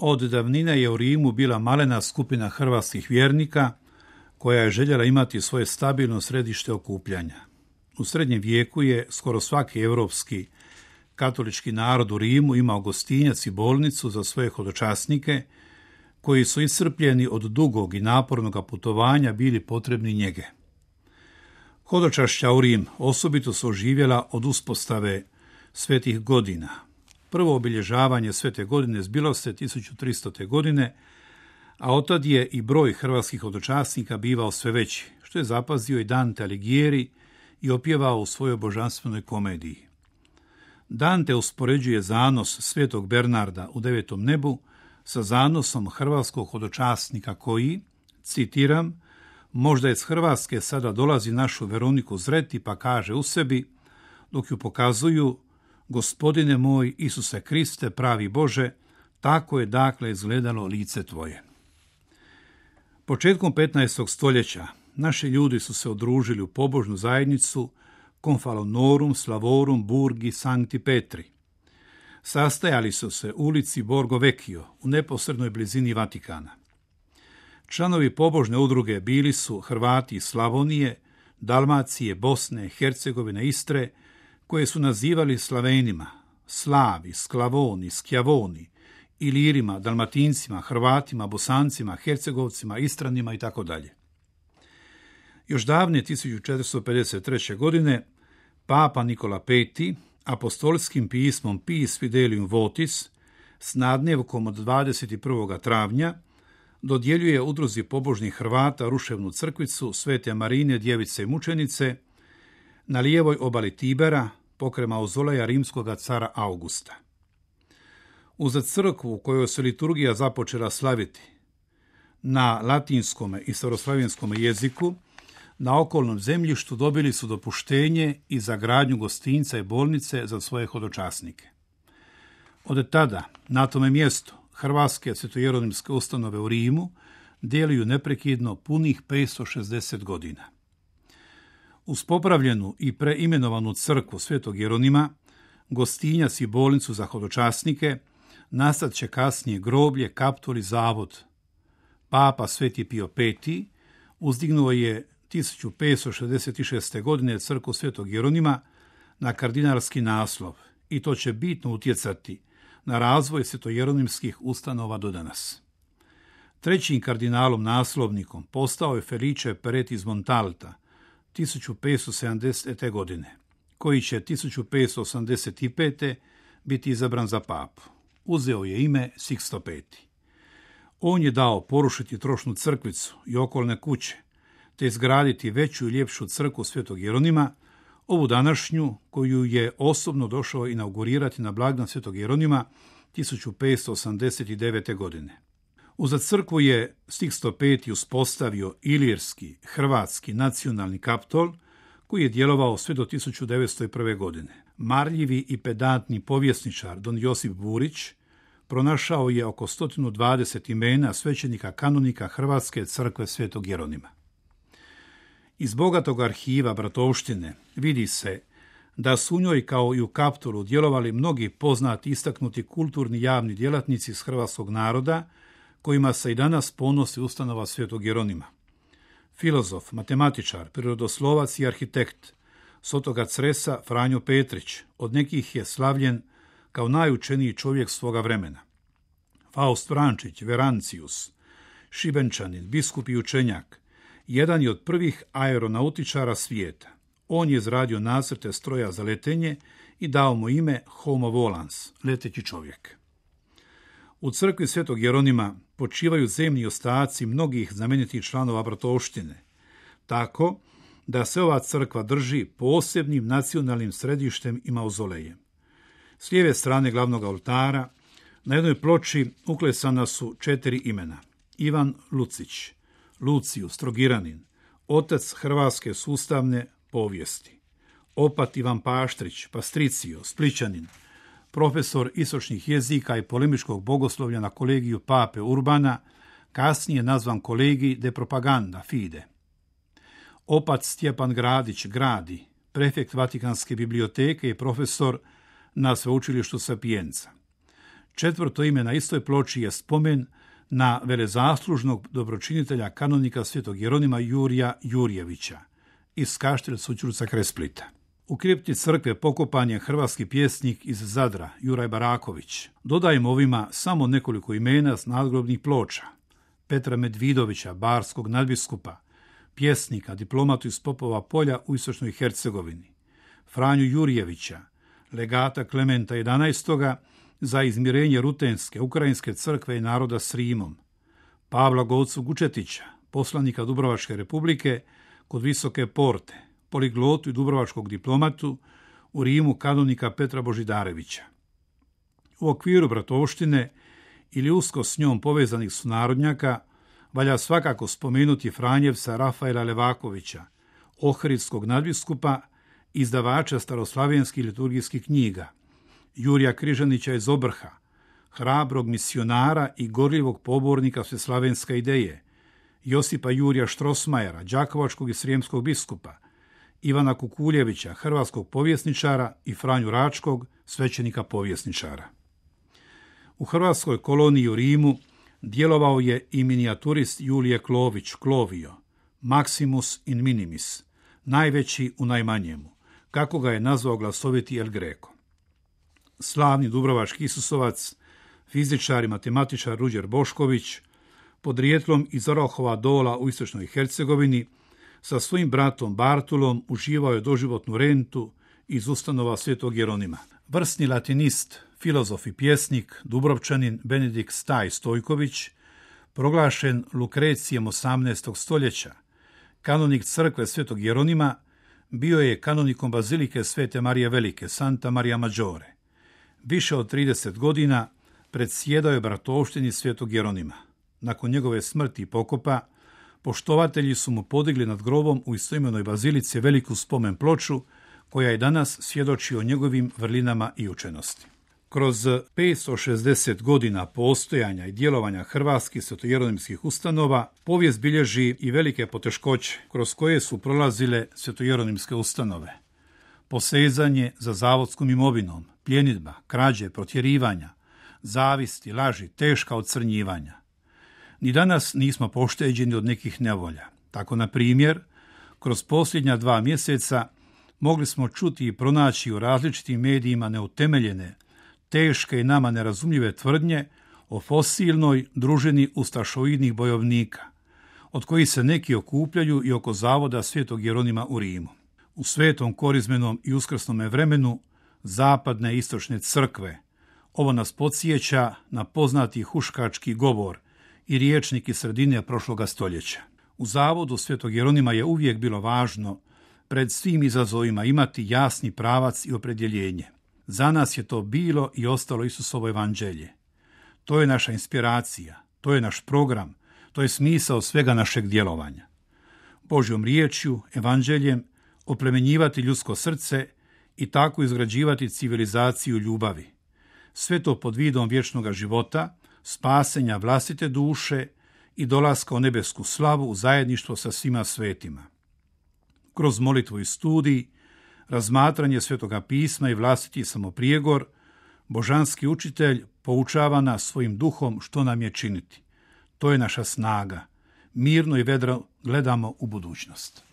Od davnine je u Rimu bila malena skupina hrvatskih vjernika koja je željela imati svoje stabilno središte okupljanja. U srednjem vijeku je skoro svaki europski katolički narod u Rimu imao gostinjac i bolnicu za svoje hodočasnike koji su iscrpljeni od dugog i napornog putovanja bili potrebni njege. Hodočašća u Rim osobito su oživjela od uspostave svetih godina. Prvo obilježavanje svete godine zbilo se 1300. godine, a otad je i broj hrvatskih hodočasnika bivao sve veći, što je zapazio i Dante Alighieri i opjevao u svojoj božanstvenoj komediji. Dante uspoređuje zanos svetog Bernarda u devetom nebu sa zanosom hrvatskog hodočasnika koji, citiram, možda iz Hrvatske sada dolazi našu Veroniku zreti pa kaže u sebi, dok ju pokazuju, Gospodine moj Isuse Kriste, pravi Bože, tako je dakle izgledalo lice tvoje. Početkom 15. stoljeća naši ljudi su se udružili u pobožnu zajednicu Confalonorum Slavorum Burgi Sancti Petri. Sastajali su se u ulici Borgo Vecchio u neposrednoj blizini Vatikana. Članovi pobožne udruge bili su Hrvati iz Slavonije, Dalmacije, Bosne, Hercegovine, Istre, koje su nazivali Slavenima, Slavi, Sklavoni, Skjavoni, Ilirima, Dalmatincima, Hrvatima, Bosancima, Hercegovcima, Istranima itd. Još davne 1453. godine Papa Nikola V apostolskim pismom Pis Fidelium Votis s nadnevkom od 21. travnja dodjeljuje udruzi pobožnih Hrvata ruševnu crkvicu Svete Marine, djevice i mučenice na lijevoj obali Tibera pokraj mauzoleja rimskog cara Augusta. Uz crkvu u kojoj se liturgija započela slaviti na latinskom i staroslavenskom jeziku, na okolnom zemljištu dobili su dopuštenje i za gradnju gostinca i bolnice za svoje hodočasnike. Od tada, na tome mjestu, hrvatske svetojeronimske ustanove u Rimu djeluju neprekidno punih 560 godina. Uz popravljenu i preimenovanu crkvu Svetog Jeronima, gostinjac i bolnicu za hodočasnike, nastat će kasnije groblje, kaptol i zavod. Papa Sveti Pio V uzdignuo je 1566. godine crkvu Svetog Jeronima na kardinalski naslov i to će bitno utjecati na razvoj svetojeronimskih ustanova do danas. Trećim kardinalom naslovnikom postao je Felice Peretti iz Montalta 1570. godine, koji će 1585. biti izabran za papu. Uzeo je ime Sixto V. On je dao porušiti trošnu crkvicu i okolne kuće, te izgraditi veću i ljepšu crkvu Svetog Jeronima, ovu današnju koju je osobno došao inaugurirati na blagdan Svetog Jeronima 1589. godine. Uza crkvu je Sixto V uspostavio ilirski, hrvatski nacionalni kaptol koji je djelovao sve do 1901. godine. Marljivi i pedantni povjesničar Don Josip Burić pronašao je oko 120 imena svećenika kanonika Hrvatske crkve Svetog Jeronima. Iz bogatog arhiva bratovštine vidi se da su u njoj kao i u kaptolu djelovali mnogi poznati istaknuti kulturni javni djelatnici iz hrvatskog naroda kojima se i danas ponosi ustanova Svetog Jeronima. Filozof, matematičar, prirodoslovac i arhitekt s otoka Cresa Franjo Petrić od nekih je slavljen kao najučeniji čovjek svoga vremena. Faust Vrančić, Verancius, Šibenčanin, biskup i učenjak, jedan je od prvih aeronautičara svijeta. On je izradio nacrte stroja za letenje i dao mu ime Homo volans, leteći čovjek. U crkvi Svetog Jeronima počivaju zemlji ostaci mnogih znamenitih članova bratovštine, tako da se ova crkva drži posebnim nacionalnim središtem i mauzolejem. S lijeve strane glavnog oltara na jednoj ploči uklesana su 4 imena. Ivan Lucić, Lucijus Trogiranin, otac hrvatske sustavne povijesti. Opat Ivan Paštrić, Pastricio, Splićanin, profesor istočnih jezika i polemičkog bogoslovlja na kolegiju Pape Urbana, kasnije nazvan kolegij de propaganda fide. Opat Stjepan Gradić Gradi, prefekt Vatikanske biblioteke i profesor na sveučilištu Sapienza. 4. ime na istoj ploči je spomen na velezaslužnog dobročinitelja kanonika svetog Jeronima Jurija Jurjevića iz Kaštel Sućurca kraj Splita. U kripti crkve pokopan je hrvatski pjesnik iz Zadra, Juraj Baraković. Dodajmo ovima samo nekoliko imena s nadgrobnih ploča. Petra Medvidovića, barskog nadbiskupa, pjesnika, diplomatu iz Popova polja u Istočnoj Hercegovini. Franju Jurjevića, legata Klementa XI. Za izmirenje Rutenske, Ukrajinske crkve i naroda s Rimom. Pavla Gocu Gučetića, poslanika Dubrovačke republike kod Visoke porte, poliglotu i dubrovačkog diplomatu, u Rimu kanonika Petra Božidarevića. U okviru bratovštine ili usko s njom povezanih sunarodnjaka valja svakako spomenuti Franjevca Rafaela Levakovića, ohridskog nadbiskupa, izdavača staroslavenskih liturgijskih knjiga, Jurija Križanića iz Obrha, hrabrog misionara i gorljivog pobornika sveslavenske ideje, Josipa Jurija Štrosmajera, đakovačkog i srijemskog biskupa, Ivana Kukuljevića, hrvatskog povjesničara i Franju Račkog, svećenika povjesničara. U hrvatskoj koloniji u Rimu djelovao je i minijaturist Julije Klović, Klovio, Maximus in minimis, najveći u najmanjemu, kako ga je nazvao glasoviti El Greco. Slavni dubrovački Isusovac, fizičar i matematičar Ruđer Bošković, podrijetlom iz Orahova Dola u Istočnoj Hercegovini, sa svojim bratom Bartolom uživao je doživotnu rentu iz ustanova Svetog Jeronima. Vrsni latinist, filozof i pjesnik, Dubrovčanin Benedikt Staj Stojković, proglašen Lukrecijem 18. stoljeća, kanonik crkve Svetog Jeronima, bio je kanonikom bazilike Svete Marije Velike, Santa Maria Maggiore. Više od 30 godina predsjedao je bratovštini Svetog Jeronima. Nakon njegove smrti i pokopa, poštovatelji su mu podigli nad grobom u istoimenoj bazilici veliku spomen ploču, koja je danas svjedoči o njegovim vrlinama i učenosti. Kroz 560 godina postojanja i djelovanja hrvatskih svetojeronimskih ustanova, povijest bilježi i velike poteškoće kroz koje su prolazile svetojeronimske ustanove. Posezanje za zavodskom imovinom, pljenidba, krađe, protjerivanja, zavisti, laži, teška ocrnjivanja. Ni danas nismo pošteđeni od nekih nevolja. Tako, na primjer, kroz posljednja 2 mjeseca mogli smo čuti i pronaći u različitim medijima neutemeljene, teške i nama nerazumljive tvrdnje o fosilnoj družini ustašoidnih bojovnika, od kojih se neki okupljaju i oko zavoda Svetog Jeronima u Rimu. U svetom korizmenom i uskrsnome vremenu zapadne i istočne crkve ovo nas podsjeća na poznati huškački govor i riječnik iz sredine prošloga stoljeća. U zavodu Svetog Jeronima je uvijek bilo važno pred svim izazovima imati jasni pravac i opredjeljenje. Za nas je to bilo i ostalo Isusovo evanđelje. To je naša inspiracija, to je naš program, to je smisao svega našeg djelovanja. Božjom riječju, evanđeljem, oplemenjivati ljudsko srce i tako izgrađivati civilizaciju ljubavi. Sve to pod vidom vječnog života, spasenja vlastite duše i dolaska u nebesku slavu u zajedništvo sa svima svetima. Kroz molitvu i studij, razmatranje Svetoga pisma i vlastiti samoprijegor, božanski učitelj poučava nas svojim duhom što nam je činiti. To je naša snaga. Mirno i vedro gledamo u budućnost.